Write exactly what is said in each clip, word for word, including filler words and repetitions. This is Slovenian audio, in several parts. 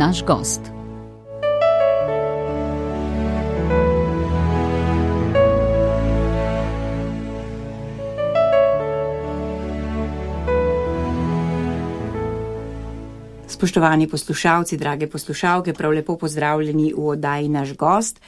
naš gost. Spoštovani poslušalci, drage poslušalke, prav lepo pozdravljeni v oddaji Naš gost.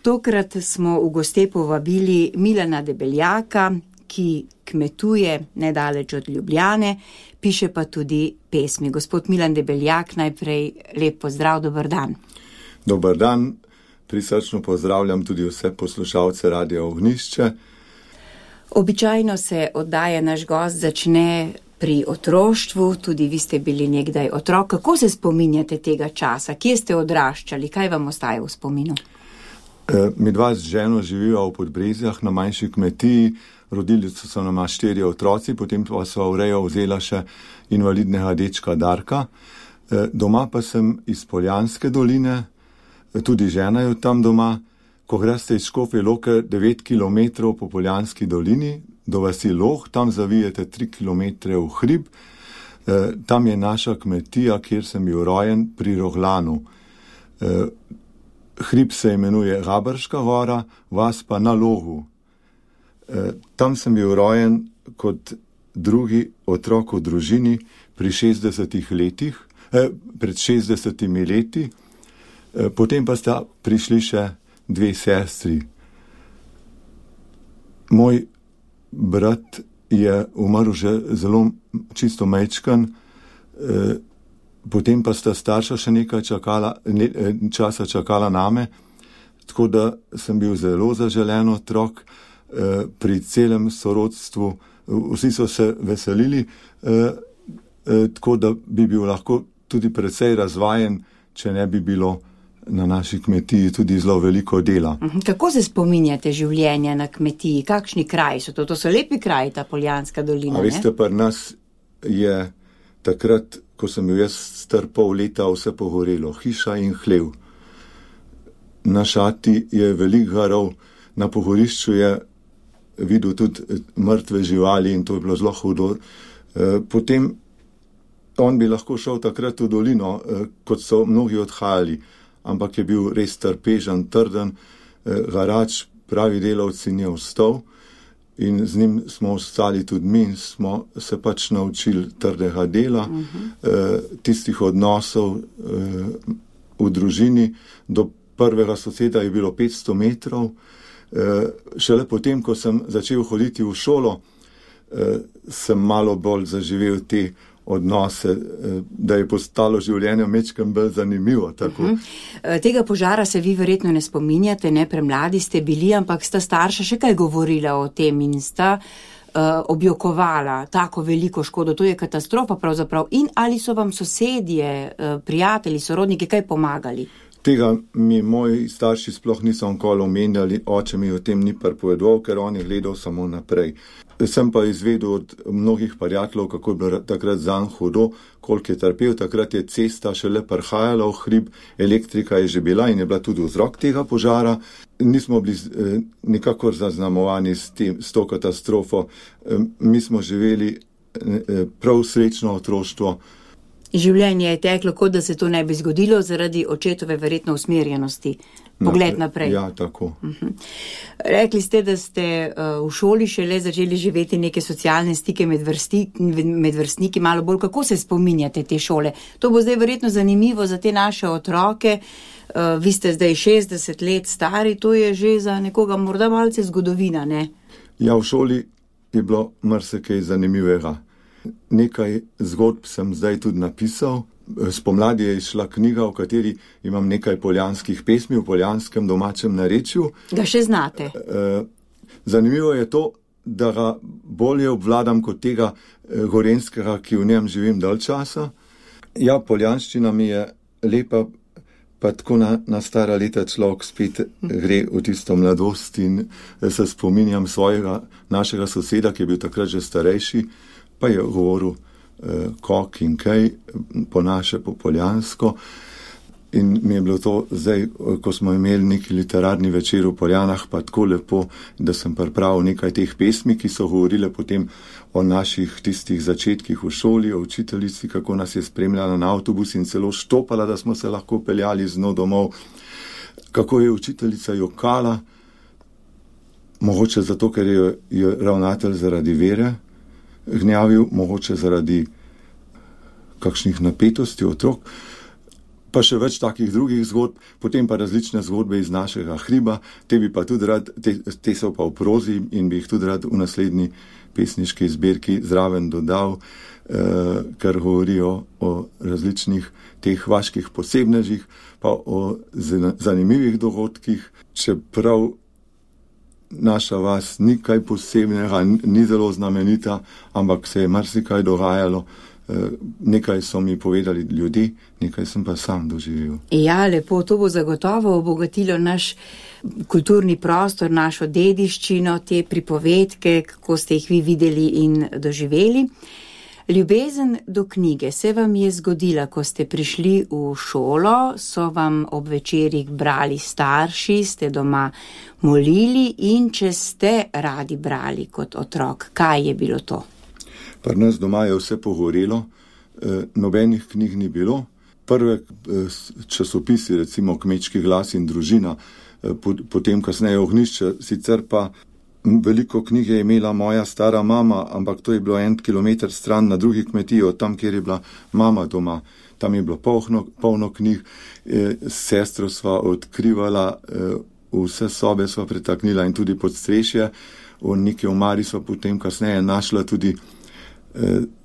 Tokrat smo v goste povabili Milana Debeljaka, ki kmetuje nedaleč od Ljubljane, piše pa tudi pesmi. Gospod Milan Debeljak, najprej lep pozdrav, dober dan. Dober dan, prisrčno pozdravljam tudi vse poslušalce Radia Ognjišče. Običajno se oddaja Naš gost začne pri otroštvu, tudi vi ste bili nekdaj otrok. Kako se spominjate tega časa? Kje ste odraščali? Kaj vam ostaje v spominu? E, mi dva z ženo živiva v Podbrezjah na manjši kmetiji. Rodili so se nama štiri otroci, potem pa sva v rejo vzela še invalidnega dečka Darka. E, doma pa sem iz Poljanske doline, tudi žena je tam doma. Ko greste iz Škofje Loke devet kilometrov po Poljanski dolini, do vasi Loh, tam zavijete tri kilometre v hrib. E, tam je naša kmetija, kjer sem bil rojen, pri Roglanu. E, hrib se imenuje Gabrška gora, vas pa na Logu. E, tam sem bil rojen kot drugi otrok v družini pri šestdesetih letih, e, pred šestdesetimi leti. E, potem pa sta prišli še dve sestri. Moj brat je umrl že zelo čisto majčkan, e, potem pa sta starša še nekaj čakala, ne, časa čakala name, tako da sem bil zelo zaželen otrok. E, pri celem sorodstvu vsi so se veselili, e, e, tako da bi bil lahko tudi precej razvajen, če ne bi bilo na naši kmetiji tudi zelo veliko dela. Kako se spominjate življenja na kmetiji? Kakšni kraji so to? To so lepi kraji, ta Poljanska dolina, A veste, pri nas je takrat, ko sem bil jaz star pol leta, vse pogorelo. Hiša in hlev. Na šati je veliko garov, na pogorišču je videl tudi mrtve živali in to je bilo zelo hudo. Potem on bi lahko šel takrat v dolino, kot so mnogi odhajali, ampak je bil res trpežen, trden, garač, pravi delavci ni ostal in z njim smo ostali tudi mi in smo se pač naučili trdega dela, uh-huh. tistih odnosov v družini. Do prvega soseda je bilo petsto metrov. Šele potem, ko sem začel hoditi v šolo, sem malo bolj zaživel te odnose, da je postalo življenje mečkem bolj zanimivo. Tako. Uh-huh. Tega požara se vi verjetno ne spominjate, ne, premladi ste bili, ampak sta starša še kaj govorila o tem in sta uh, objokovala tako veliko škodo. To je katastrofa pravzaprav. In ali so vam sosedje, uh, prijatelji, sorodniki kaj pomagali? Tega mi moji starši sploh niso nikoli omenjali, oče mi o tem ni pripovedoval, ker on je gledal samo naprej. Sem pa izvedel od mnogih prijateljev, kako je bilo takrat zanj hudo, koliko je trpel. Takrat je cesta šele prihajala v hrib, elektrika je že bila in je bila tudi vzrok tega požara. Nismo bili eh, nikakor zaznamovani s, tem, s to katastrofo. Eh, mi smo živeli eh, prav srečno otroštvo. Življenje je teklo, kot da se to ne bi zgodilo zaradi očetove verjetno usmerjenosti. Pogled naprej. Ja, tako. Uh-huh. Rekli ste, da ste uh, v šoli šele začeli živeti neke socialne stike med, vrsti, med vrstniki, malo bolj. Kako se spominjate te šole? To bo zdaj verjetno zanimivo za te naše otroke. Uh, vi ste zdaj šestdeset let stari, to je že za nekoga morda malce zgodovina, ne? Ja, v šoli je bilo marsikaj zanimivega. Nekaj zgodb sem zdaj tudi napisal. Spomladi je išla knjiga, v kateri imam nekaj poljanskih pesmi v poljanskem domačem narečju. Ga še znate? Zanimivo je to, da ga bolje obvladam kot tega gorenskega, ki v njem živim dalj časa. Ja, poljanščina mi je lepa, pa tako na, na stara leta človek spet gre v tisto mladost in se spominjam svojega, našega soseda, ki je bil takrat že starejši, pa je govoril eh, kok in kaj, po naše, po poljansko. In mi je bilo to zdaj, ko smo imeli neki literarni večer v Poljanah, pa tako lepo, da sem pripravil nekaj teh pesmi, ki so govorile potem o naših tistih začetkih v šoli, o učiteljici, kako nas je spremljala na avtobus in celo štopala, da smo se lahko peljali z njo domov. Kako je učiteljica jokala, mogoče zato, ker je, je ravnatelj zaradi vere gnjavil, mogoče zaradi kakšnih napetosti otrok, pa še več takih drugih zgodb, potem pa različne zgodbe iz našega hriba, te bi pa tudi rad, te, te so pa v prozi in bi jih tudi rad v naslednji pesniški zbirki zraven dodal, eh, ker govorijo o različnih teh vaških posebnežih, pa o zanimivih dogodkih, čeprav naša vas ni kaj posebnega, ni zelo znamenita, ampak se je marsikaj dogajalo. Nekaj so mi povedali ljudje, nekaj sem pa sam doživel. Ja, lepo, to bo zagotovo obogatilo naš kulturni prostor, našo dediščino, te pripovedke, kako ste jih vi videli in doživeli. Ljubezen do knjige se vam je zgodila, ko ste prišli v šolo, so vam ob večerih brali starši, ste doma molili in če ste radi brali kot otrok, kaj je bilo to? Pri nas doma je vse pogorelo, nobenih knjig ni bilo. Prve časopisi, recimo Kmečki glas in Družina, potem kasneje Ognjišče, sicer pa veliko knjig je imela moja stara mama, ampak to je bilo en kilometer stran na drugi kmetiji, od tam, kjer je bila mama doma. Tam je bilo polno, polno knjig, s sestro sva odkrivala, vse sobe sva pretaknila in tudi podstrešje. V neki omari sva potem kasneje našla tudi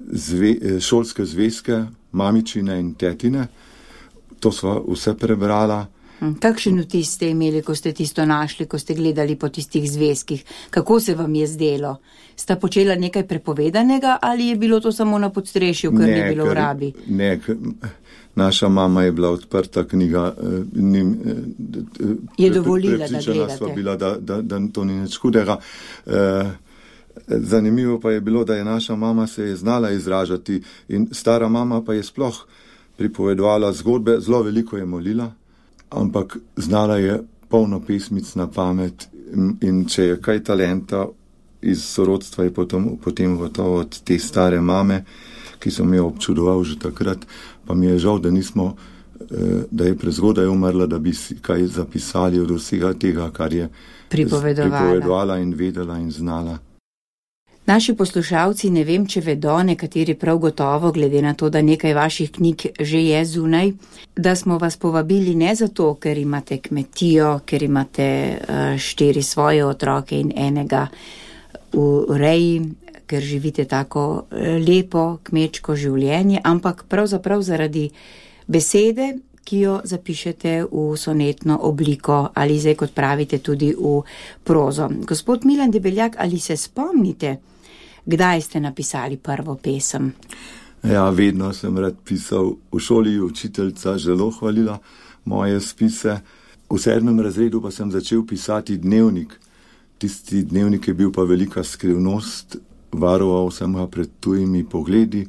Zve, šolske zvezke, mamičine in tetine. To sva vse prebrala. Kakšen vtis ste imeli, ko ste tisto našli, ko ste gledali po tistih zvezkih? Kako se vam je zdelo? Sta počela nekaj prepovedanega ali je bilo to samo na podstrešju, ker ne, ni bilo v rabi? Ne, naša mama je bila odprta knjiga. Nim, je dovolila, da gledate? Sva bila, da, da, da to ni nič hudega. Zanimivo pa je bilo, da je naša mama se je znala izražati in stara mama pa je sploh pripovedovala zgodbe, zelo veliko je molila, ampak znala je polno pesmic na pamet in če je kaj talenta iz sorodstva, je potem, potem gotovo od te stare mame, ki sem jo občudoval že takrat, pa mi je žal, da nismo, da je prezgodaj umrla, da bi si kaj zapisali od vsega tega, kar je pripovedovala, pripovedovala in vedela in znala. Naši poslušalci, ne vem, če vedo, nekateri prav gotovo, glede na to, da nekaj vaših knjig že je zunaj, da smo vas povabili ne zato, ker imate kmetijo, ker imate štiri svoje otroke in enega v reji, ker živite tako lepo kmečko življenje, ampak pravzaprav zaradi besede, ki jo zapišete v sonetno obliko ali zdaj, kot pravite, tudi v prozo. Gospod Milan Debeljak, ali se spomnite, kdaj ste napisali prvo pesem? Ja, vedno sem rad pisal. V šoli učiteljica zelo hvalila moje spise. V sedmem razredu pa sem začel pisati dnevnik. Tisti dnevnik je bil pa velika skrivnost, varoval sem ga pred tujimi pogledi.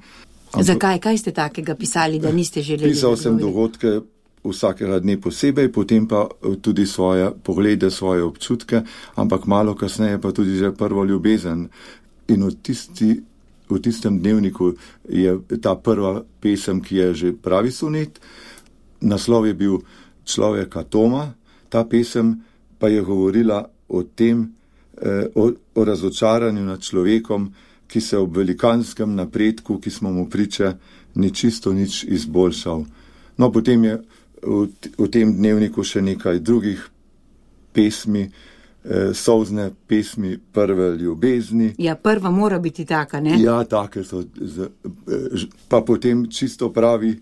Ampak, zakaj? Kaj ste takega pisali, da niste želeli? Pisal sem dogodke vsakega dne posebej, potem pa tudi svoje poglede, svoje občutke, ampak malo kasneje pa tudi že prvo ljubezen. In v, tisti, v tistem dnevniku je ta prva pesem, ki je že pravi sonet. Naslov je bil Človeka Toma, ta pesem pa je govorila o tem, eh, o, o razočaranju nad človekom, ki se ob velikanskem napredku, ki smo mu priče, ni čisto nič izboljšal. No, potem je v, v tem dnevniku še nekaj drugih pesmi, eh, solzne pesmi prve ljubezni. Ja, prva mora biti taka, ne? Ja, take so. Z, eh, pa potem čisto pravi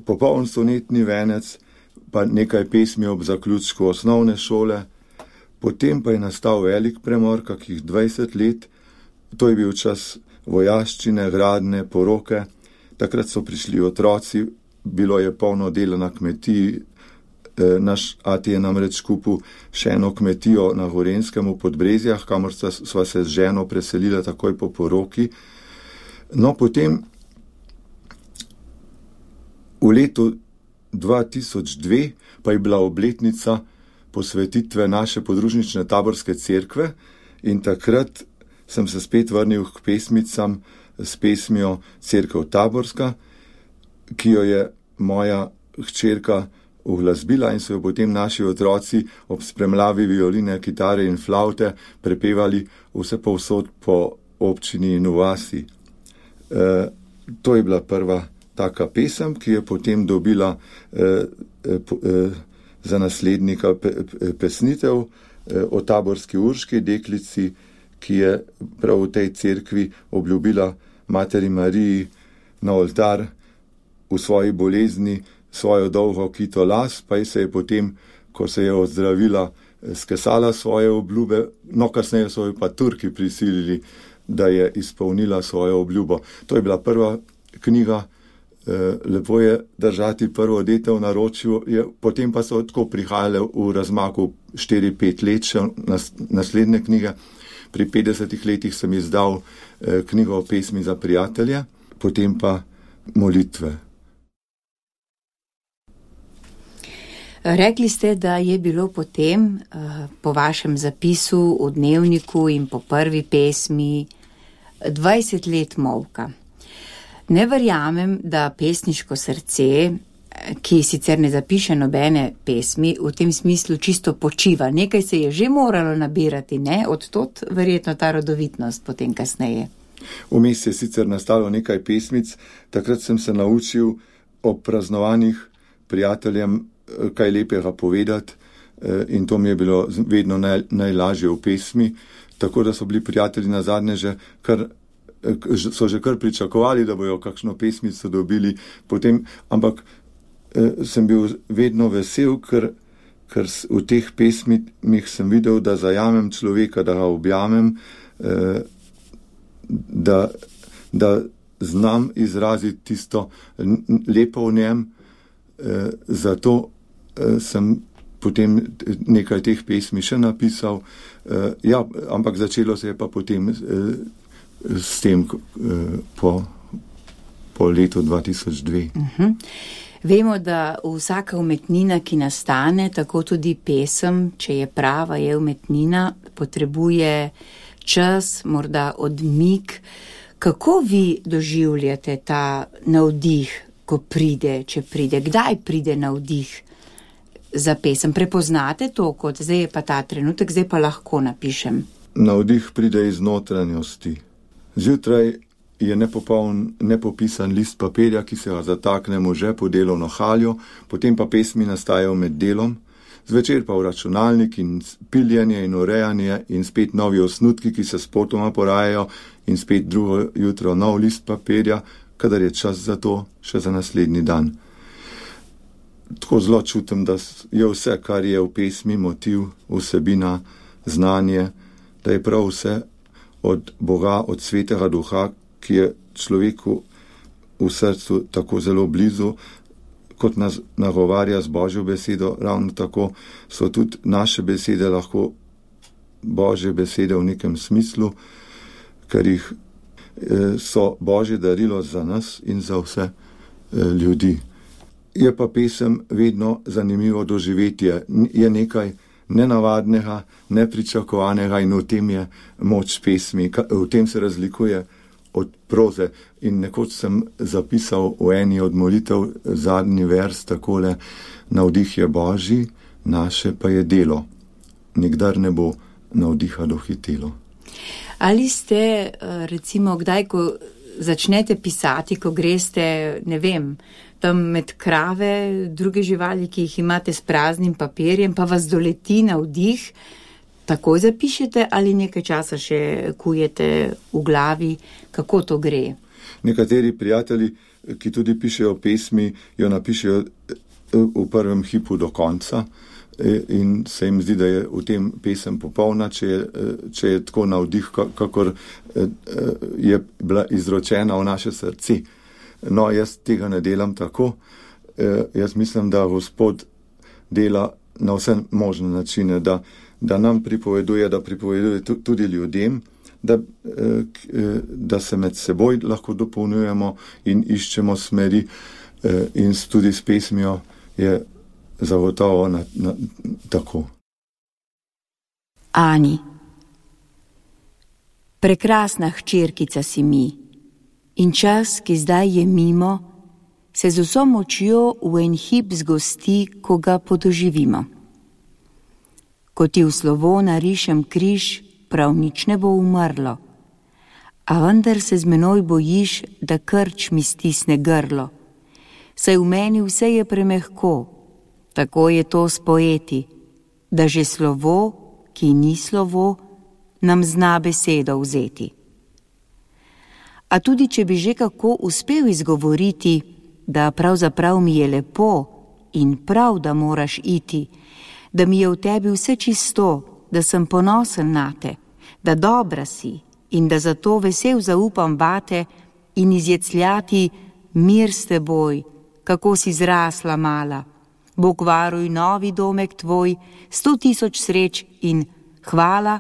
popoln sonetni venec, pa nekaj pesmi ob zaključku osnovne šole. Potem pa je nastal velik premor, kakih dvajset let. To je bil čas vojaščine, gradne, poroke. Takrat so prišli otroci, bilo je polno dela na kmetiji. E, naš ati je namreč kupil še eno kmetijo na Gorenskem v Podbrezjah, kamor sva se z ženo preselila takoj po poroki. No, potem v letu dva tisoč dve pa je bila obletnica posvetitve naše podružnične taborske cerkve in takrat sem se spet vrnil k pesmicam s pesmijo Cerkev Taborska, ki jo je moja hčerka uglasbila in so jo potem naši otroci ob spremljavi violine, kitare in flavte prepevali vse povsod po občini in vasi. E, to je bila prva taka pesem, ki je potem dobila e, e, za naslednika pe, pe, pesnitev e, o taborski Urški deklici, ki je prav v tej cerkvi obljubila Materi Mariji na oltar v svoji bolezni svojo dolgo kito las, pa je se je potem, ko se je ozdravila, skesala svoje obljube, no kasneje so jo pa Turki prisilili, da je izpolnila svojo obljubo. To je bila prva knjiga, lepo je držati prvo dete v naročju, je, potem pa so tako prihajale v razmaku štiri pet let še nas, naslednje knjige. Pri petdesetih letih sem izdal eh, knjigo o pesmi za prijatelje, potem pa molitve. Rekli ste, da je bilo potem eh, po vašem zapisu v dnevniku in po prvi pesmi dvajset let molka. Ne verjamem, da pesniško srce, ki sicer ne zapiše nobene pesmi, v tem smislu čisto počiva. Nekaj se je že moralo nabirati, ne? Odtot verjetno ta rodovitnost potem kasneje. Vmes je sicer nastalo nekaj pesmic, takrat sem se naučil o praznovanjih prijateljem kaj lepega povedati in to mi je bilo vedno naj, najlažje v pesmi, tako da so bili prijatelji na zadnje že kar so že kar pričakovali, da bojo kakšno pesmico dobili potem, ampak sem bil vedno vesel, ker, ker v teh pesmih sem videl, da zajamem človeka, da ga objamem, da, da znam izraziti tisto lepo v njem, zato sem potem nekaj teh pesmi še napisal, ja, ampak začelo se je pa potem s tem po, po letu dva tisoč dve. Uh-huh. Vemo, da vsaka umetnina, ki nastane, tako tudi pesem, če je prava, je umetnina, potrebuje čas, morda odmik. Kako vi doživljate ta navdih, ko pride, če pride? Kdaj pride navdih za pesem? Prepoznate to, kot zdaj je pa ta trenutek, zdaj pa lahko napišem? Navdih pride iz notranjosti. Zjutraj je nepopoln, nepopisan list papirja, ki se ga zataknemo že po delovno haljo, potem pa pesmi nastajajo med delom, zvečer pa v računalnik in piljenje in urejanje in spet novi osnutki, ki se spotoma porajajo in spet drugo jutro nov list papirja, kadar je čas za to še za naslednji dan. Tako zelo čutim, da je vse, kar je v pesmi, motiv, vsebina, znanje, da je prav vse od Boga, od Svetega Duha, ki je človeku v srcu tako zelo blizu, kot nas nagovarja z Božjo besedo, ravno tako so tudi naše besede lahko Božje besede v nekem smislu, ker jih so Božje darilo za nas in za vse ljudi. Je pa pesem vedno zanimivo doživetje, je nekaj nenavadnega, nepričakovanega in v tem je moč pesmi, v tem se razlikuje od proze. In nekoč sem zapisal v eni od molitev zadnji vers takole: navdih je Božji, naše pa je delo, nikdar ne bo navdiha dohitelo. Ali ste recimo kdaj, ko začnete pisati, ko greste, ne vem, tam med krave, druge živali, ki jih imate s praznim papirjem, pa vas doleti navdih, takoj zapišete ali nekaj časa še kujete v glavi, kako to gre? Nekateri prijatelji, ki tudi pišejo pesmi, jo napišejo v prvem hipu do konca in se jim zdi, da je v tem pesem popolna, če je, če je tako navdih, kakor je bila izročena v naše srce. No, jaz tega ne delam tako. Jaz mislim, da Gospod dela na vse možne načine, da, da nam pripoveduje, da pripoveduje tudi ljudem, da, da se med seboj lahko dopolnjujemo in iščemo smeri in tudi s pesmijo je zagotovo na, na, tako. Ani, prekrasna hčerkica si mi in čas, ki zdaj je mimo, se z vso močjo v en hip zgosti, ko ga podoživimo. Ko ti v slovo narišem križ, prav nič ne bo umrlo, a vendar se z menoj bojiš, da krč mi stisne grlo. Saj v meni vse je premehko, tako je to s poeti, da že slovo, ki ni slovo, nam zna besedo vzeti. A tudi, če bi že kako uspel izgovoriti, da pravzaprav mi je lepo in prav, da moraš iti, da mi je v tebi vse čisto, da sem ponosen nate, da dobra si in da zato vesel zaupam vate in izjecljati mir s teboj, kako si zrasla mala. Bog varuj novi domek tvoj, sto tisoč sreč in hvala,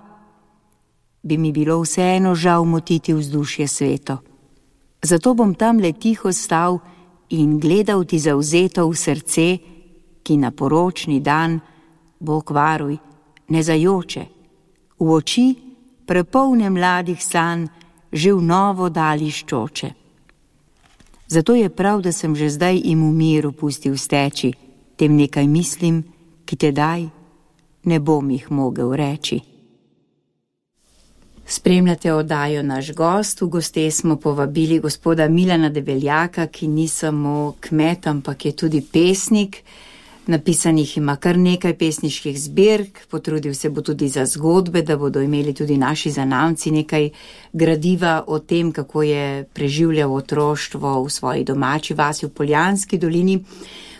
bi mi bilo vseeno žal motiti vzdušje sveto. Zato bom tam le tiho stal in gledal ti zavzeto v srce, ki na poročni dan, Bog varuj, ne zajoče, v oči prepolne mladih sanj že v novo dali ščoče. Zato je prav, da sem že zdaj im v miru pustil steči, tem nekaj mislim, ki tedaj ne bom jih mogel reči. Spremljate oddajo Naš gost. V goste smo povabili gospoda Milana Debeljaka, ki ni samo kmet, ampak je tudi pesnik. Napisanih ima kar nekaj pesniških zbirk, potrudil se bo tudi za zgodbe, da bodo imeli tudi naši zanamci nekaj gradiva o tem, kako je preživljal otroštvo v svoji domači vasi v Poljanski dolini.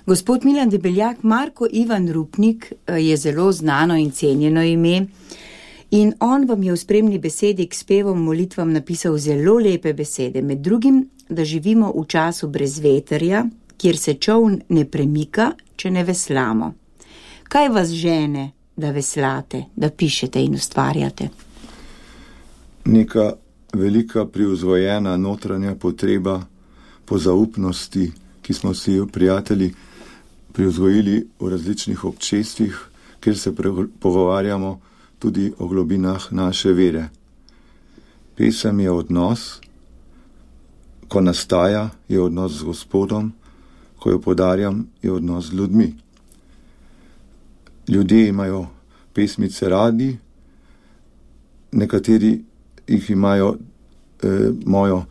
Gospod Milan Debeljak, Marko Ivan Rupnik je zelo znano in cenjeno ime in on vam je v spremni besedi k spevom molitvam napisal zelo lepe besede, med drugim, da živimo v času brez veterja, kjer se čoln ne premika, če ne veslamo. Kaj vas žene, da veslate, da pišete in ustvarjate? Neka velika privzgojena notranja potreba po zaupnosti, ki smo si jo prijatelji privzgojili v različnih občestvih, kjer se pogovarjamo tudi o globinah naše vere. Pesem je odnos, ko nastaja, je odnos z Gospodom, ko jo podarjam, je odnos z ljudmi. Ljudje imajo pesmice radi, nekateri jih imajo eh, mojo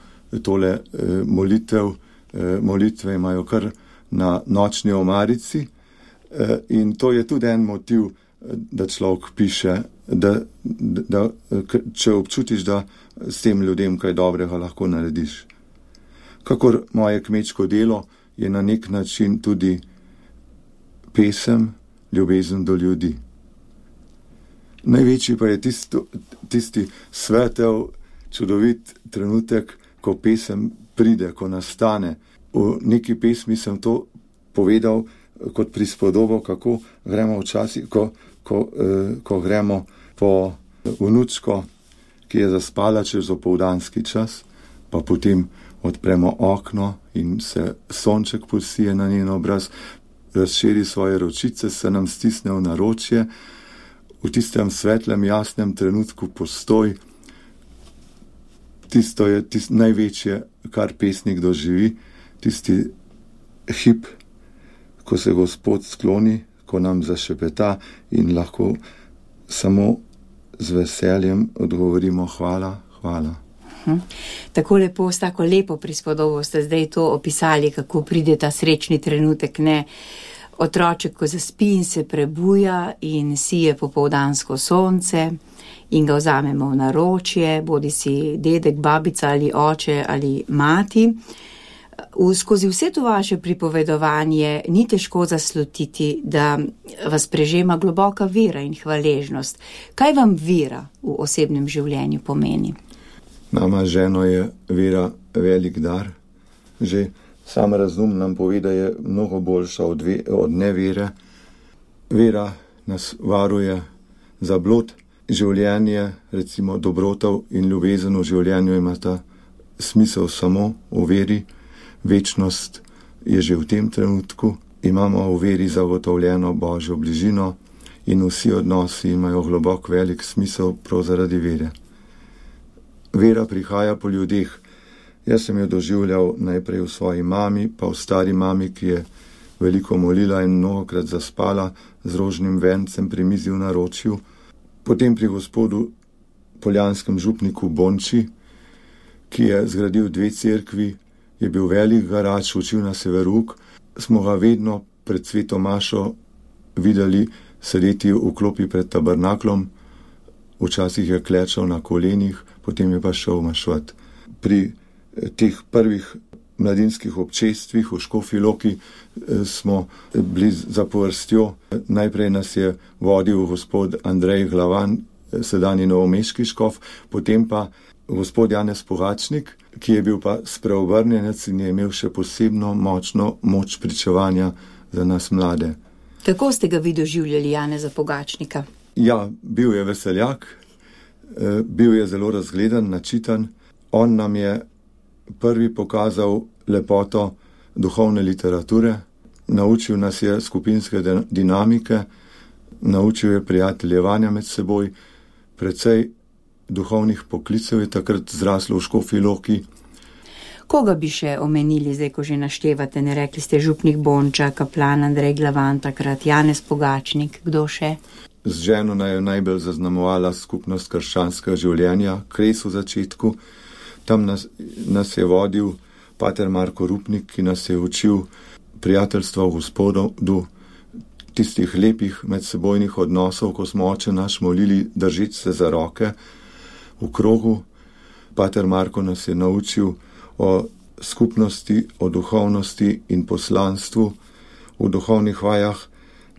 tole eh, molitev, eh, molitve imajo kar na nočni omarici eh, in to je tudi en motiv, da človek piše, da, da, da, če občutiš, da s tem ljudem kaj dobrega lahko narediš. Kakor moje kmečko delo je na nek način tudi pesem, ljubezen do ljudi. Največji pa je tisto, tisti svetel, čudovit trenutek, ko pesem pride, ko nastane. V neki pesmi sem to povedal kot prispodobo, kako gremo včasih, ko, ko, eh, ko gremo po vnučko, ki je zaspala čez opoldanski čas, pa potem odpremo okno in se sonček posije na njen obraz, razširi svoje ročice, se nam stisne v naročje, v tistem svetlem, jasnem trenutku postoj. Tisto je tisto največje, kar pesnik doživi, tisti hip, ko se Gospod skloni, ko nam zašepeta in lahko samo z veseljem odgovorimo hvala, hvala. Hm. Tako lepo, s tako lepo prispodobo ste zdaj to opisali, kako pride ta srečni trenutek, ne? Otroček, ko zaspi in se prebuja in sije popoldansko sonce in ga vzamemo v naročje, bodi si dedek, babica ali oče ali mati. V, skozi vse to vaše pripovedovanje ni težko zaslutiti, da vas prežema globoka vera in hvaležnost. Kaj vam vera v osebnem življenju pomeni? Nama ženo je vera velik dar. Že sam razum nam pove, da je mnogo boljša od, ve, od nevere. Vera nas varuje za blod. Življenje, recimo dobrotov in ljubezen v življenju imata smisel samo v veri. Večnost je že v tem trenutku imamo v veri zagotovljeno Božjo bližino in vsi odnosi imajo globok velik smisel prav zaradi vere. Vera prihaja po ljudeh. Jaz sem jo doživljal najprej v svoji mami, pa v stari mami, ki je veliko molila in mnogokrat zaspala z rožnim vencem pri mizi v naročju, potem pri gospodu poljanskem župniku Bonči, ki je zgradil dve cerkvi, je bil velik garač, učil na severuk, smo ga vedno pred sveto mašo videli sedeti v klopi pred tabernaklom, včasih je klečal na kolenih, potem je pa šel mašvat. Pri teh prvih mladinskih občestvih v Škofji Loki smo bili za povrstjo. Najprej nas je vodil gospod Andrej Glavan, sedanji novomeški škof, potem pa gospod Janez Pogačnik, ki je bil pa spreobrnjenec in je imel še posebno močno moč pričevanja za nas mlade. Kako ste ga vi doživljali, Janeza Pogačnika? Ja, bil je veseljak, bil je zelo razgledan, načitan. On nam je prvi pokazal lepoto duhovne literature, naučil nas je skupinske dinamike, naučil je prijateljevanja med seboj, precej duhovnih poklicev je takrat zraslo v Škofji Loki. Koga bi še omenili, zdaj ko že naštevate, ne rekli ste župnik Bonča, kaplan Andrej Glavan, takrat Janez Pogačnik, kdo še? Z ženo naj je najbolj zaznamovala skupnost krščanskega življenja, Kres v začetku. Tam nas, nas je vodil pater Marko Rupnik, ki nas je učil prijateljstva v Gospodu, do tistih lepih medsebojnih odnosov, ko smo oče naš molili držeč se za roke v krogu. Pater Marko nas je naučil o skupnosti, o duhovnosti in poslanstvu. V duhovnih vajah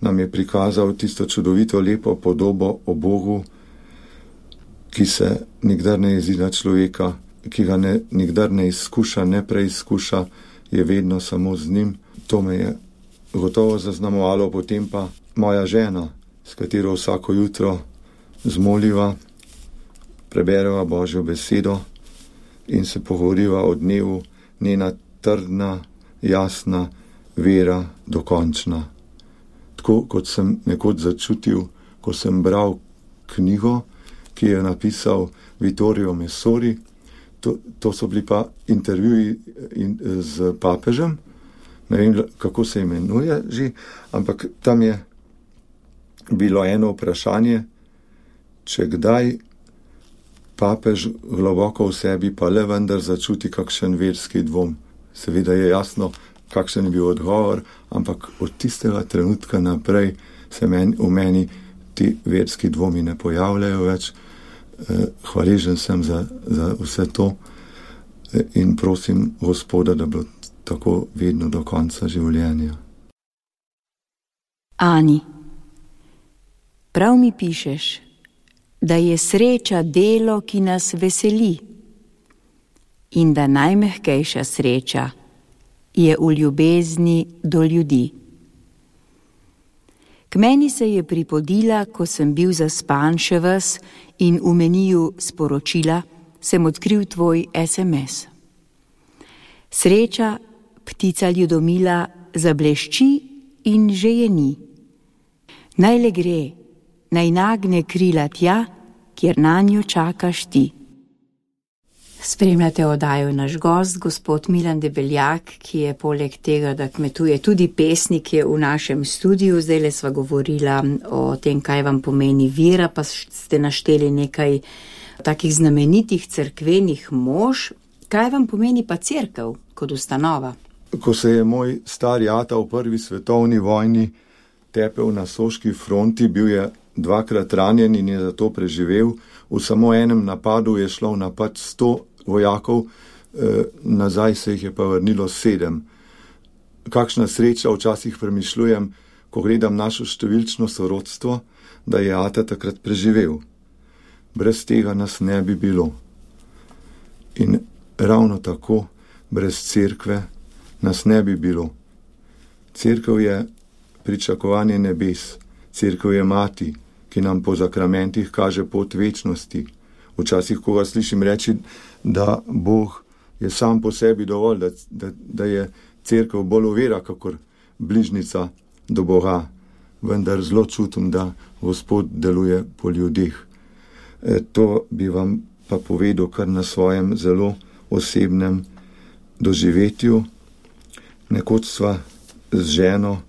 nam je prikazal tisto čudovito lepo podobo o Bogu, ki se nikdar ne jezi na človeka, ki ga ne, nikdar ne izkuša, ne preizkuša, je vedno samo z njim. To me je gotovo zaznamovalo, potem pa moja žena, s katero vsako jutro zmoliva, prebereva Božjo besedo in se pogovoriva o dnevu, njena trdna, jasna vera dokončna. Tako kot sem nekoč začutil, ko sem bral knjigo, ki je napisal Vittorio Messori, to, to so bili pa intervjuji in, z papežem, ne vem, kako se imenuje že, ampak tam je bilo eno vprašanje, če kdaj papež globoko v sebi pa le vendar začuti kakšen verski dvom. Seveda je jasno, kakšen je bil odgovor, ampak od tistega trenutka naprej se meni, v meni ti verski dvomi ne pojavljajo več. Hvaležen sem za, za vse to in prosim Gospoda, da bo tako vedno do konca življenja. Ani, prav mi pišeš, da je sreča delo, ki nas veseli, in da najmehkejša sreča je v ljubezni do ljudi. K meni se je pripodila, ko sem bil zaspan še ves in v meniju sporočila sem odkril tvoj es em es. Sreča, ptica ljudomila, zablešči in že je ni. Naj le gre, naj nagne krila tja, kjer nanjo čakaš ti. Spremljate oddajo Naš gost, gospod Milan Debeljak, ki je poleg tega, da kmetuje, tudi pesnik, je v našem studiu. Zdajle sva govorila o tem, kaj vam pomeni vera, pa ste našteli nekaj takih znamenitih cerkvenih mož. Kaj vam pomeni pa cerkev kot ustanova? Ko se je moj stari ata v prvi svetovni vojni tepel na soški fronti, bil je dvakrat ranjen in je zato preživel. V samo enem napadu je šlo v napad sto vojakov, eh, nazaj se jih je pa vrnilo sedem. Kakšna sreča, včasih premišljujem, ko gledam našo številčno sorodstvo, da je ata takrat preživel. Brez tega nas ne bi bilo. In ravno tako, brez cerkve nas ne bi bilo. Cerkev je pričakovanje nebes, cerkev je mati, ki nam po zakramentih kaže pot večnosti. Včasih, ko ga slišim reči, da Bog je sam po sebi dovolj, da, da, da je cerkev bolj vera, kakor bližnica do Boga, vendar zelo čutim, da Gospod deluje po ljudeh. E, to bi vam pa povedal kar na svojem zelo osebnem doživetju. Nekoč sva z ženo,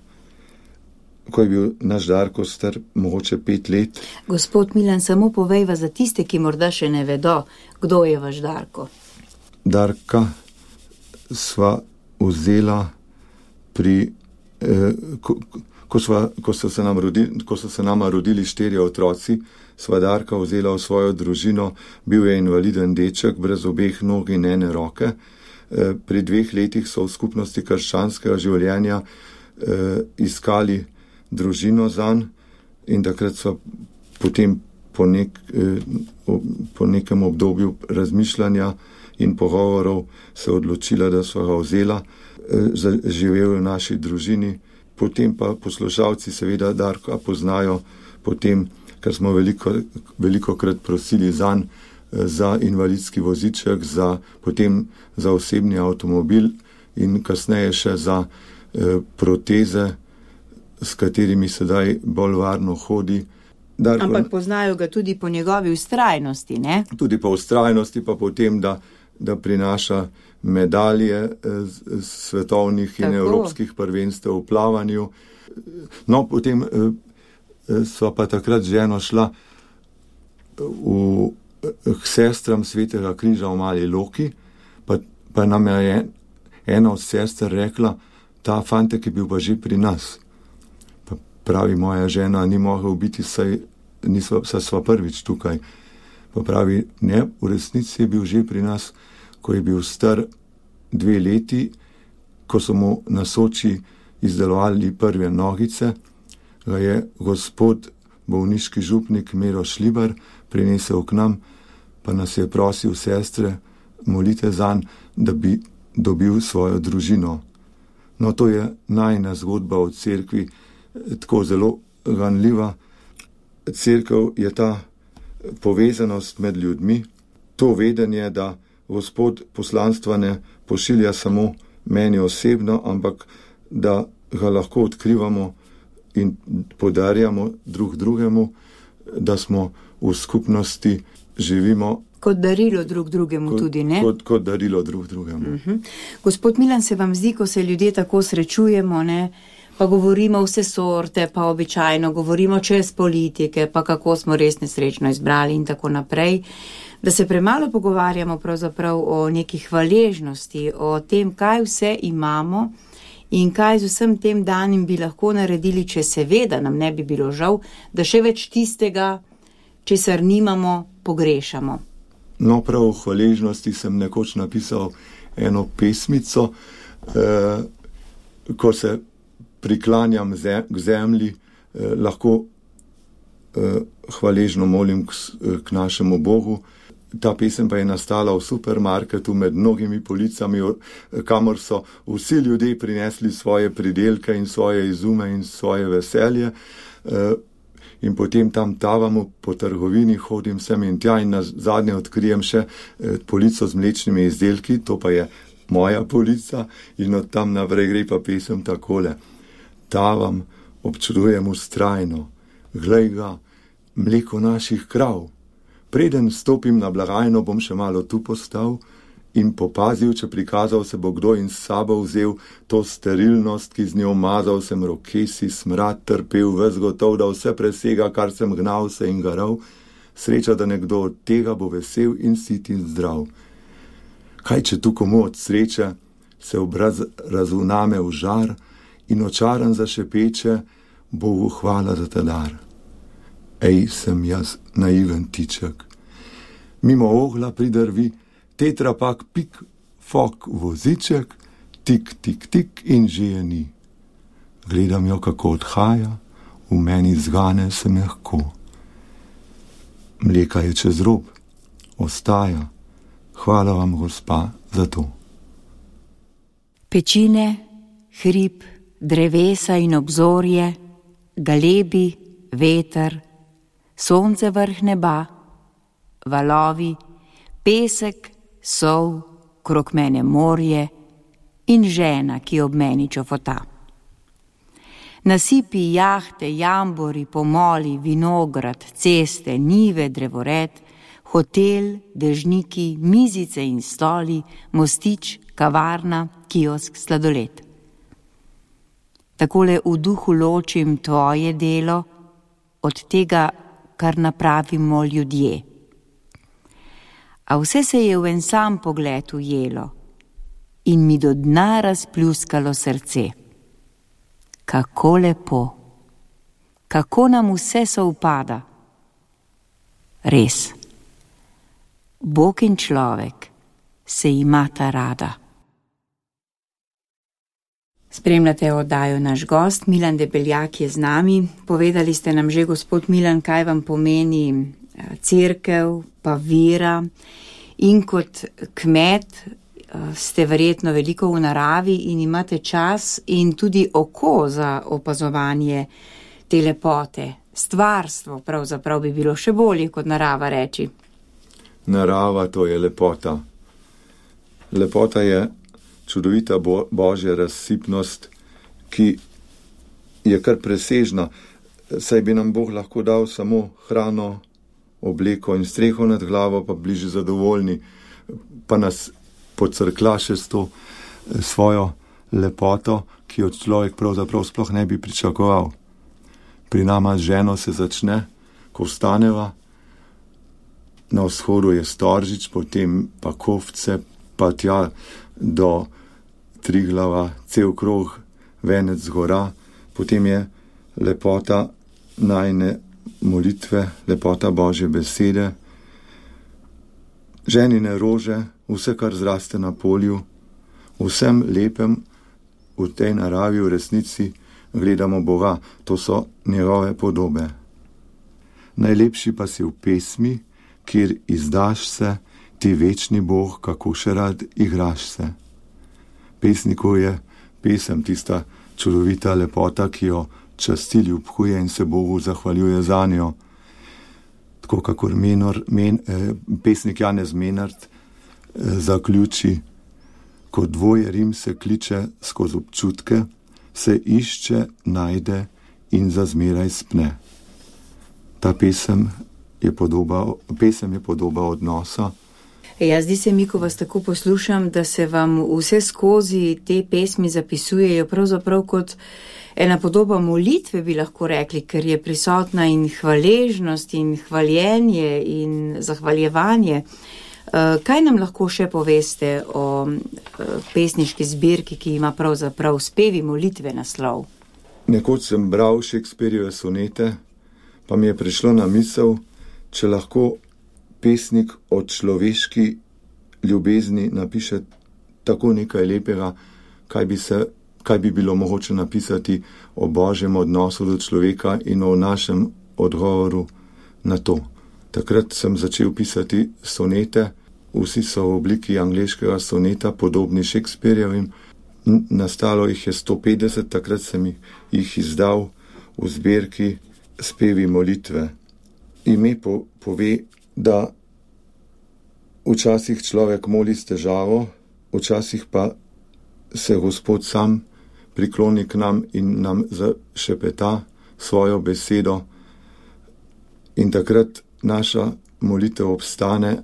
ko je bil naš Darko star mogoče pet let. Gospod Milan, samo povejva za tiste, ki morda še ne vedo, kdo je vaš Darko. Darka sva vzela pri, eh, ko, ko, sva, ko, so se nam rodili, ko so se nama rodili štirje otroci, sva Darka vzela v svojo družino. Bil je invaliden deček, brez obeh nog in ene roke. Eh, pri dveh letih so v skupnosti krščanskega življenja eh, iskali družino zanj in takrat so potem po, nek, po nekem obdobju razmišljanja in pogovorov se odločila, da so ga vzela, živel v naši družini. Potem pa poslušalci seveda Darka poznajo potem, ker smo veliko, veliko krat prosili zanj za invalidski voziček, za, potem za osebni avtomobil in kasneje še za eh, proteze, s katerimi sedaj bolj varno hodi. Darko, ampak poznajo ga tudi po njegovi vztrajnosti, ne? Tudi po vztrajnosti, pa potem, da, da prinaša medalje z svetovnih in Tako. evropskih prvenstev v plavanju. No, potem sva pa takrat ženo šla v, k sestram Svetega križa v Mali Loki, pa, pa nam je ena od sester rekla, ta fantek je bil pa že pri nas. Pravi, moja žena ni mogla biti, saj, nisva, saj sva prvič tukaj. Pa pravi, ne, v resnici je bil že pri nas, ko je bil star dve leti, ko so mu na Soči izdelovali prve nogice, ga je gospod bolniški župnik Miro Šlibar prinesel k nam, pa nas je prosil sestre, molite zanj, da bi dobil svojo družino. No, to je najina zgodba o cerkvi, tako zelo ganljiva. Cerkev je ta povezanost med ljudmi, to vedenje, da Gospod poslanstva ne pošilja samo meni osebno, ampak da ga lahko odkrivamo in podarjamo drug drugemu, da smo v skupnosti, živimo kot darilo drug drugemu kot, tudi, ne? Kot, kot darilo drug drugemu. Uh-huh. Gospod Milan, se vam zdi, ko se ljudje tako srečujemo, ne? Pa govorimo vse sorte, pa običajno govorimo čez politike, pa kako smo res nesrečno izbrali in tako naprej, da se premalo pogovarjamo pravzaprav o neki hvaležnosti, o tem, kaj vse imamo in kaj z vsem tem danim bi lahko naredili, če seveda nam ne bi bilo žal, da še več tistega, česar nimamo, pogrešamo. No, prav v hvaležnosti sem nekoč napisal eno pesmico, eh, ko se priklanjam k zemlji, eh, lahko eh, hvaležno molim k, k našemu Bogu. Ta pesem pa je nastala v supermarketu med mnogimi policami, kamor so vsi ljudje prinesli svoje pridelke in svoje izume in svoje veselje. Eh, in potem tam tavamo po trgovini, hodim sem in tja in na zadnje odkrijem še eh, polico z mlečnimi izdelki, to pa je moja polica in od tam naprej gre pa pesem takole. Tavam, občudujem vztrajno, glej ga, mleko naših krav. Preden stopim na blagajno, bom še malo tu postal in popazil, če prikazal se bo kdo in s sabo vzel to sterilnost, ki z njo mazal sem rokesi, smrad trpel, ves gotov, da vse presega, kar sem gnal se in garal. Sreča, da nekdo od tega bo vesel in sit in zdrav. Kaj, če tu komu od sreče se obraz razvname v žar in očaran zašepeče, Bogu hvala za ta dar. Ej, sem jaz naiven tiček. Mimo ogla pridrvi, tetrapak, pik, fok, voziček, tik, tik, tik in že je ni. Gledam jo, kako odhaja, v meni zgane se mehko. Mleka je čez rob, ostaja. Hvala vam, gospa, za to. Pečine, hrib, drevesa in obzorje, galebi, veter, sonce vrh neba, valovi, pesek, sol, krog mene morje in žena, ki ob meni čofota. Nasipi, jahte, jambori, pomoli, vinograd, ceste, njive, drevored, hotel, dežniki, mizice in stoli, mostič, kavarna, kiosk, sladoled. Takole v duhu ločim tvoje delo od tega, kar napravimo ljudje. A vse se je v en sam pogled ujelo in mi do dna razpljuskalo srce. Kako lepo, kako nam vse sovpada. Res, Bog in človek se imata rada. Spremljate oddajo Naš gost, Milan Debeljak je z nami. Povedali ste nam že, gospod Milan, kaj vam pomeni cerkev, pa vera. In kot kmet ste verjetno veliko v naravi in imate čas in tudi oko za opazovanje te lepote. Stvarstvo pravzaprav bi bilo še bolje kot narava reči. Narava, to je lepota. Lepota je čudovita bo, božja razsipnost, ki je kar presežna. Saj bi nam Bog lahko dal samo hrano, obleko in streho nad glavo, pa bliže zadovoljni, pa nas pocrkla še s to svojo lepoto, ki jo človek pravzaprav sploh ne bi pričakoval. Pri nama z ženo se začne, ko vstaneva, na vzhodu je Storžič, potem pa Kovce, pa tja do Triglava, cel krog, venec gora, potem je lepota najine molitve, lepota Božje besede, ženine rože, vse, kar zraste na polju, vsem lepem v tej naravi, v resnici gledamo Boga, to so njegove podobe. Najlepši pa si v pesmi, kjer izdaš se, ti večni Bog, kako še rad igraš se. Pesniku je pesem tista čudovita lepota, ki jo časti, ljubkuje in se Bogu zahvaljuje za njo. Tako kakor menor, men, eh, pesnik Janez Menard eh, zaključi, ko dvoje Rim se kliče skozi občutke, se išče, najde in zazmeraj spne. Ta pesem je podoba, pesem je podoba odnosa. Ja, zdi se mi, ko vas tako poslušam, da se vam vse skozi te pesmi zapisujejo pravzaprav kot ena podoba molitve, bi lahko rekli, ker je prisotna in hvaležnost in hvaljenje in zahvaljevanje. Kaj nam lahko še poveste o pesniški zbirki, ki ima pravzaprav spevi molitve naslov? Nekoč sem bral Shakespearjeve sonete, pa mi je prišlo na misel, če lahko pesnik o človeški ljubezni napiše tako nekaj lepega, kaj bi, se, kaj bi bilo mogoče napisati o Božjem odnosu do človeka in o našem odgovoru na to. Takrat sem začel pisati sonete, vsi so v obliki angleškega soneta, podobni Shakespearjevim. Nastalo jih je sto petdeset, takrat sem jih izdal v zbirki Spevi molitve. Ime po, pove, da včasih človek moli s težavo, včasih pa se Gospod sam prikloni k nam in nam zašepeta svojo besedo in takrat naša molitev obstane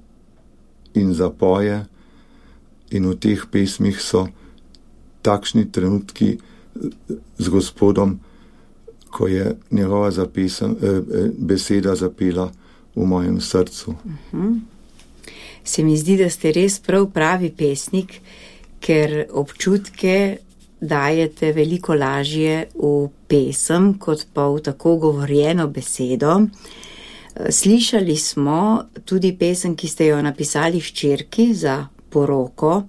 in zapoje in v teh pesmih so takšni trenutki z Gospodom, ko je njegova zapesem, eh, beseda zapela v mojem srcu. Uh-huh. Se mi zdi, da ste res prav pravi pesnik, ker občutke dajete veliko lažje v pesem, kot pa v tako govorjeno besedo. Slišali smo tudi pesem, ki ste jo napisali hčerki za poroko.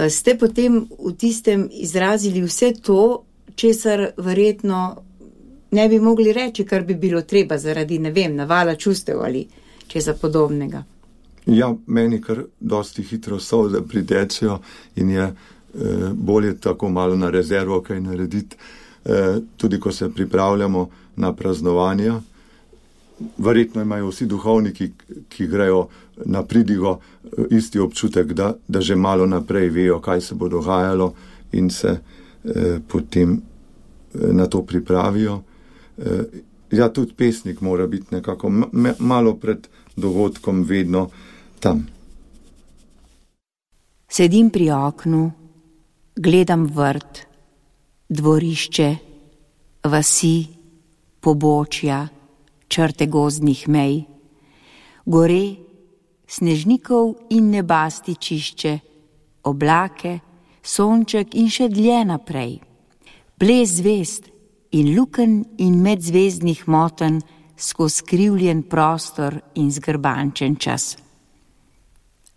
Ste potem v tistem izrazili vse to, česar verjetno ne bi mogli reči, kar bi bilo treba zaradi, ne vem, navala čustev ali česa podobnega. Ja, meni kar dosti hitro solze pritečejo in je eh, bolje tako malo na rezervo kaj narediti, eh, tudi ko se pripravljamo na praznovanja. Verjetno imajo vsi duhovniki, ki grejo na pridigo, isti občutek, da, da že malo naprej vejo, kaj se bo dogajalo in se eh, potem na to pripravijo. Ja, tudi pesnik mora biti nekako malo pred dogodkom vedno tam. Sedim pri oknu, gledam vrt, dvorišče, vasi, pobočja, črte gozdnih mej, gore, snežnikov in nebasti čišče, oblake, sonček in še dlje naprej, ples zvezd in lukenj in medzvezdnih motenj skozi skrivljen prostor in zgrbančen čas.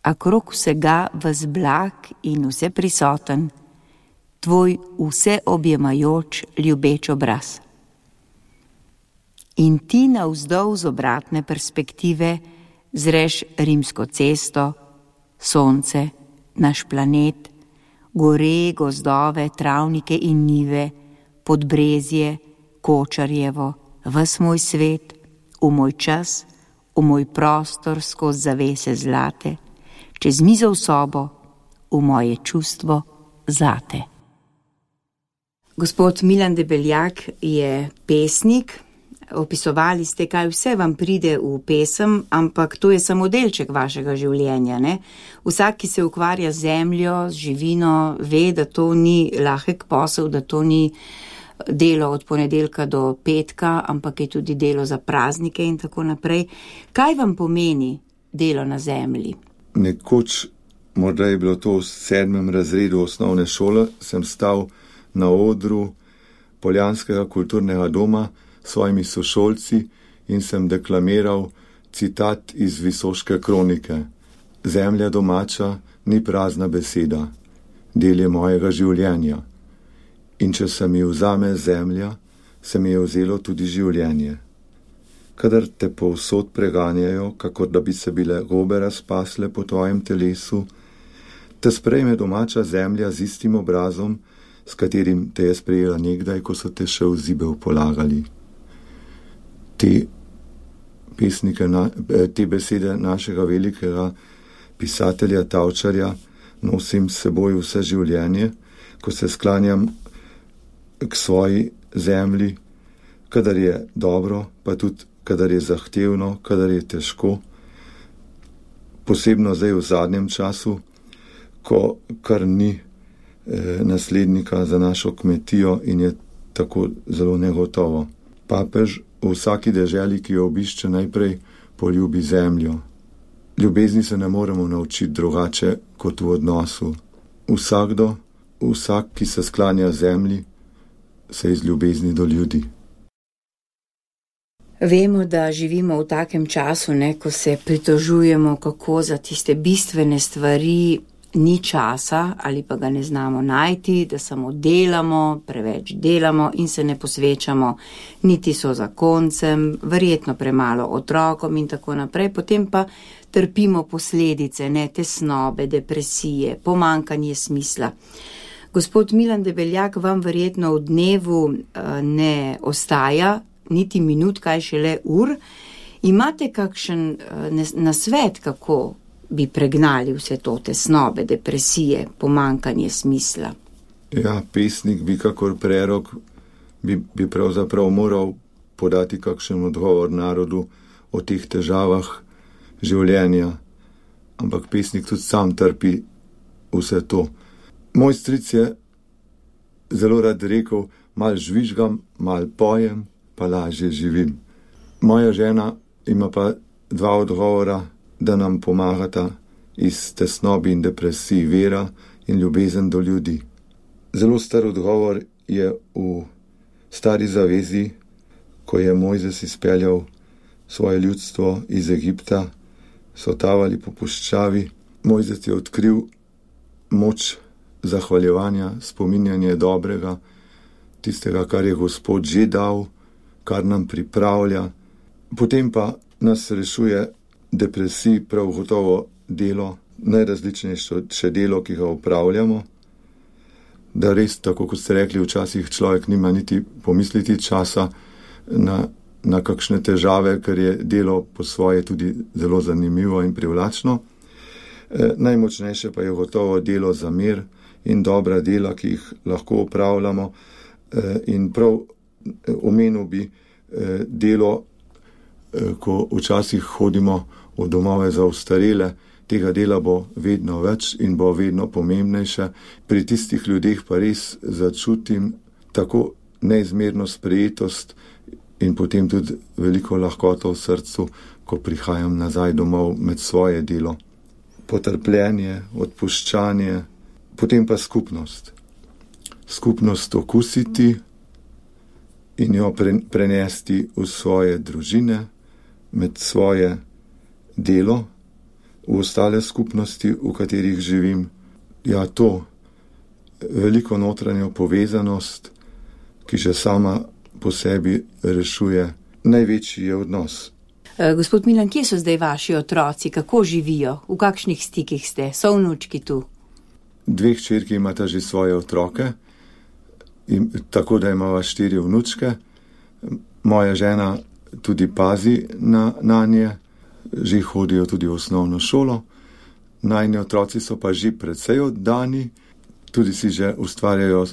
A krog vsega ves blag in vse prisoten, tvoj vse objemajoč ljubeč obraz. In ti navzdol z obratne perspektive zreš Rimsko cesto, sonce, naš planet, gore, gozdove, travnike in njive, Podbrezje, Kočarjevo, ves moj svet, v moj čas, v moj prostor skozi zavese zlate, čez mizo v sobo, v moje čustvo zate. Gospod Milan Debeljak je pesnik. Opisovali ste, kaj vse vam pride v pesem, ampak to je samo delček vašega življenja, ne? Vsak, ki se ukvarja z zemljo, z živino, ve, da to ni lahek posel, da to ni delo od ponedeljka do petka, ampak je tudi delo za praznike in tako naprej. Kaj vam pomeni delo na zemlji? Nekoč, morda je bilo to v sedmem razredu osnovne šole, sem stal na odru Poljanskega kulturnega doma s svojimi sošolci in sem deklamiral citat iz Visoške kronike. Zemlja domača ni prazna beseda, del je mojega življenja. In če se mi vzame zemlja, se mi je vzelo tudi življenje. Kadar te povsod preganjajo, kakor da bi se bile gobe razpasle po tvojem telesu, te sprejme domača zemlja z istim obrazom, s katerim te je sprejela nekdaj, ko so te še v zibel polagali. Te, pesnike, te besede našega velikega pisatelja Tavčarja nosim s seboj vse življenje, ko se sklanjam k svoji zemlji, kadar je dobro, pa tudi kadar je zahtevno, kadar je težko. Posebno zdaj v zadnjem času, ko kar ni eh, naslednika za našo kmetijo in je tako zelo negotovo. Papež v vsaki deželi, ki jo obišče, najprej poljubi zemljo. Ljubezni se ne moremo naučiti drugače kot v odnosu. Vsakdo, vsak, ki se sklanja zemlji, se iz ljubezni do ljudi. Vemo, da živimo v takem času, ne, ko se pritožujemo, kako za tiste bistvene stvari ni časa ali pa ga ne znamo najti, da samo delamo, preveč delamo in se ne posvečamo niti so zakoncem, verjetno premalo otrokom in tako naprej, potem pa trpimo posledice, ne, tesnobe, depresije, pomanjkanje smisla. Gospod Milan Debeljak, vam verjetno v dnevu ne ostaja niti minut, kaj šele ur. Imate kakšen nasvet, kako bi pregnali vse to tesnobe, depresije, pomanjkanje smisla? Ja, pesnik bi kakor prerok, bi, bi pravzaprav moral podati kakšen odgovor narodu o teh težavah življenja, ampak pesnik tudi sam trpi vse to. Moj stric je zelo rad rekel, mal žvižgam, mal pojem, pa lažje živim. Moja žena ima pa dva odgovora, da nam pomagata iz tesnobi in depresiji, vera in ljubezen do ljudi. Zelo star odgovor je v Stari zavezi, ko je Mojzes izpeljal svoje ljudstvo iz Egipta, so tavali po puščavi. Mojzes je odkril moč zahvaljevanja, spominjanje dobrega, tistega, kar je Gospod že dal, kar nam pripravlja. Potem pa nas rešuje depresiji prav gotovo delo, najrazličnejše delo, ki ga upravljamo, da res, tako kot ste rekli, včasih človek nima niti pomisliti časa na, na kakšne težave, ker je delo po svoje tudi zelo zanimivo in privlačno. E, najmočnejše pa je gotovo delo za mir in dobra dela, ki jih lahko upravljamo, in prav omenil bi delo, ko včasih hodimo v domove za ostarele, tega dela bo vedno več in bo vedno pomembnejše. Pri tistih ljudeh pa res začutim tako neizmerno sprejetost in potem tudi veliko lahkoto v srcu, ko prihajam nazaj domov med svoje delo. Potrpljenje, odpuščanje, potem pa skupnost. Skupnost okusiti in jo prenesti v svoje družine, med svoje delo, v ostale skupnosti, v katerih živim. Ja, to veliko notranjo povezanost, ki že sama po sebi rešuje največji je odnos. Gospod Milan, kje so zdaj vaši otroci? Kako živijo? V kakšnih stikih ste? So vnučki tu? Dve hčerki imata že svoje otroke, in, tako da imava štiri vnučke. Moja žena tudi pazi na, na nje, že hodijo tudi v osnovno šolo. Najni otroci so pa že precej oddani, tudi si že ustvarjajo e,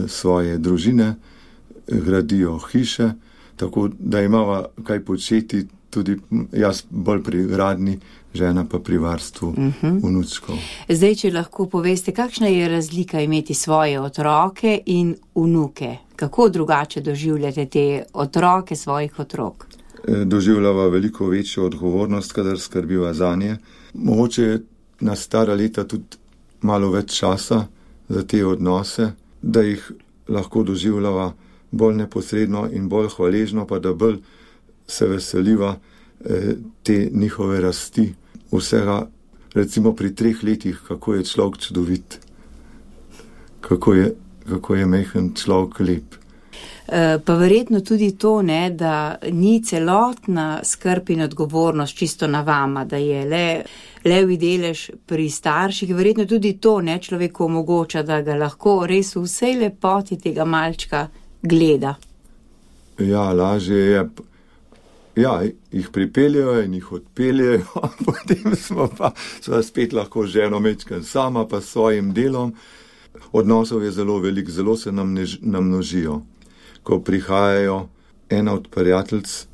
svoje družine, gradijo hiše, tako da imava kaj početi, tudi jaz bolj pri gradni, žena pa pri varstvu uh-huh. vnučkov. Zdaj, če lahko poveste, kakšna je razlika imeti svoje otroke in vnuke? Kako drugače doživljate te otroke svojih otrok? Doživljava veliko večjo odgovornost, kadar skrbiva zanje. Mogoče je na stara leta tudi malo več časa za te odnose, da jih lahko doživljava bolj neposredno in bolj hvaležno, pa da bolj se veseliva eh, te njihove rasti. Vsega, recimo pri treh letih, kako je človek čudovit, kako je, kako je mehen človek lep. E, pa verjetno tudi to, ne, da ni celotna skrb in odgovornost čisto na vama, da je le levi delež pri starših, verjetno tudi to, ne, človeku omogoča, da ga lahko res v vsej lepoti tega malčka gleda. Ja, lažje je. Ja, jih pripeljajo in jih odpeljajo, potem smo pa smo spet lahko ženo mečkan sama pa s svojim delom. Odnosov je zelo velik, zelo se nam než, namnožijo. Ko prihajajo, ena od prijateljic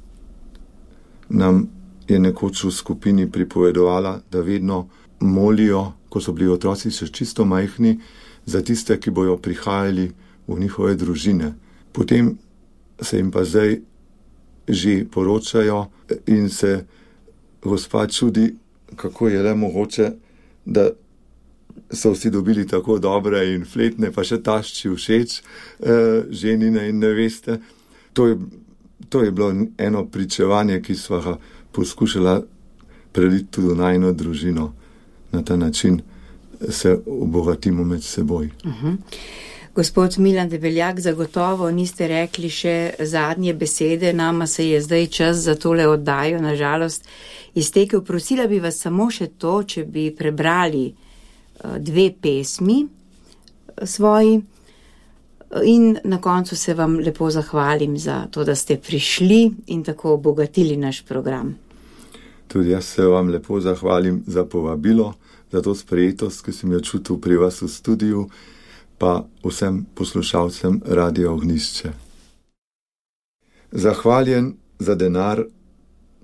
nam je nekoč v skupini pripovedovala, da vedno molijo, ko so bili otroci še čisto majhni, za tiste, ki bojo prihajali v njihove družine. Potem se jim pa zdaj že poročajo in se gospa čudi, kako je le mogoče, da so vsi dobili tako dobre in fletne, pa še tašči všeč, eh, ženine in neveste. To je, to je bilo eno pričevanje, ki sva ga poskušala preliti tudi v najino družino. Na ta način se obogatimo med seboj. Uh-huh. Gospod Milan Debeljak, zagotovo niste rekli še zadnje besede, nama se je zdaj čas za tole oddajo, nažalost, iztekel. Prosila bi vas samo še to, če bi prebrali dve pesmi svoji in na koncu se vam lepo zahvalim za to, da ste prišli in tako obogatili naš program. Tudi jaz se vam lepo zahvalim za povabilo, za to sprejetost, ki sem jo čutil pri vas v studiu, pa vsem poslušalcem Radio Ognjišče. Zahvaljen za denar,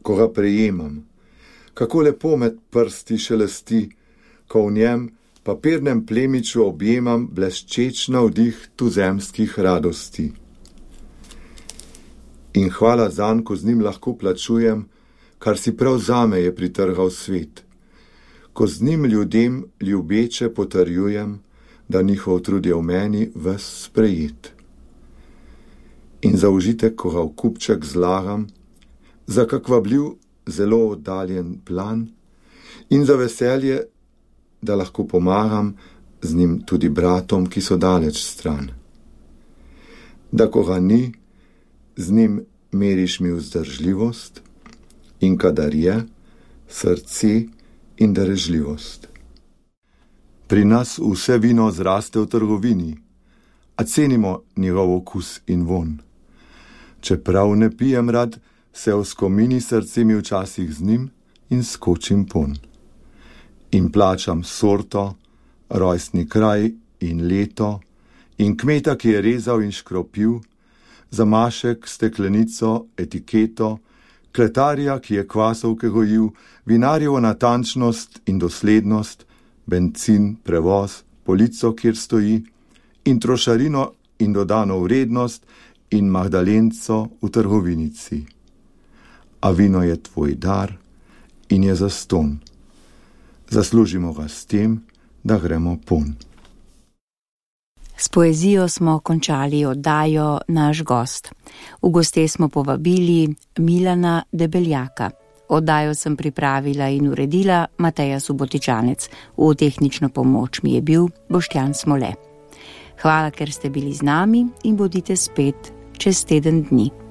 ko ga prejemam. Kako lepo med prsti šelesti, ko v njem papirnem plemiču objemam bleščeč navdih tuzemskih radosti. In hvala zanj, ko z njim lahko plačujem, kar si prav zame je pritrgal svet. Ko z njim ljudem ljubeče potrjujem, da njihov trud je v meni ves sprejet. In za užitek, ko ga v kupček zlagam, za kak vabljiv, zelo oddaljen plan in za veselje, da lahko pomagam z njim tudi bratom, ki so daleč stran. Da ko ga ni, z njim meriš mi vzdržljivost in kadar je, srce in darežljivost. Pri nas vse vino zraste v trgovini, a cenimo njegov okus in von. Čeprav ne pijem rad, se v skomini srce mi včasih z njim in skočim pon. In plačam sorto, rojstni kraj in leto in kmeta, ki je rezal in škropil, zamašek, steklenico, etiketo, kletarja, ki je kvasovke gojil, vinarjevo natančnost in doslednost, bencin, prevoz, polico, kjer stoji, in trošarino in dodano vrednost in magdalenco v trgovinici. A vino je tvoj dar in je zastonj. Zaslužimo ga s tem, da gremo pon. S poezijo smo končali oddajo Naš gost. V goste smo povabili Milana Debeljaka. Oddajo sem pripravila in uredila Mateja Subotičanec. V tehnično pomoč mi je bil Boštjan Smole. Hvala, ker ste bili z nami in bodite spet čez teden dni.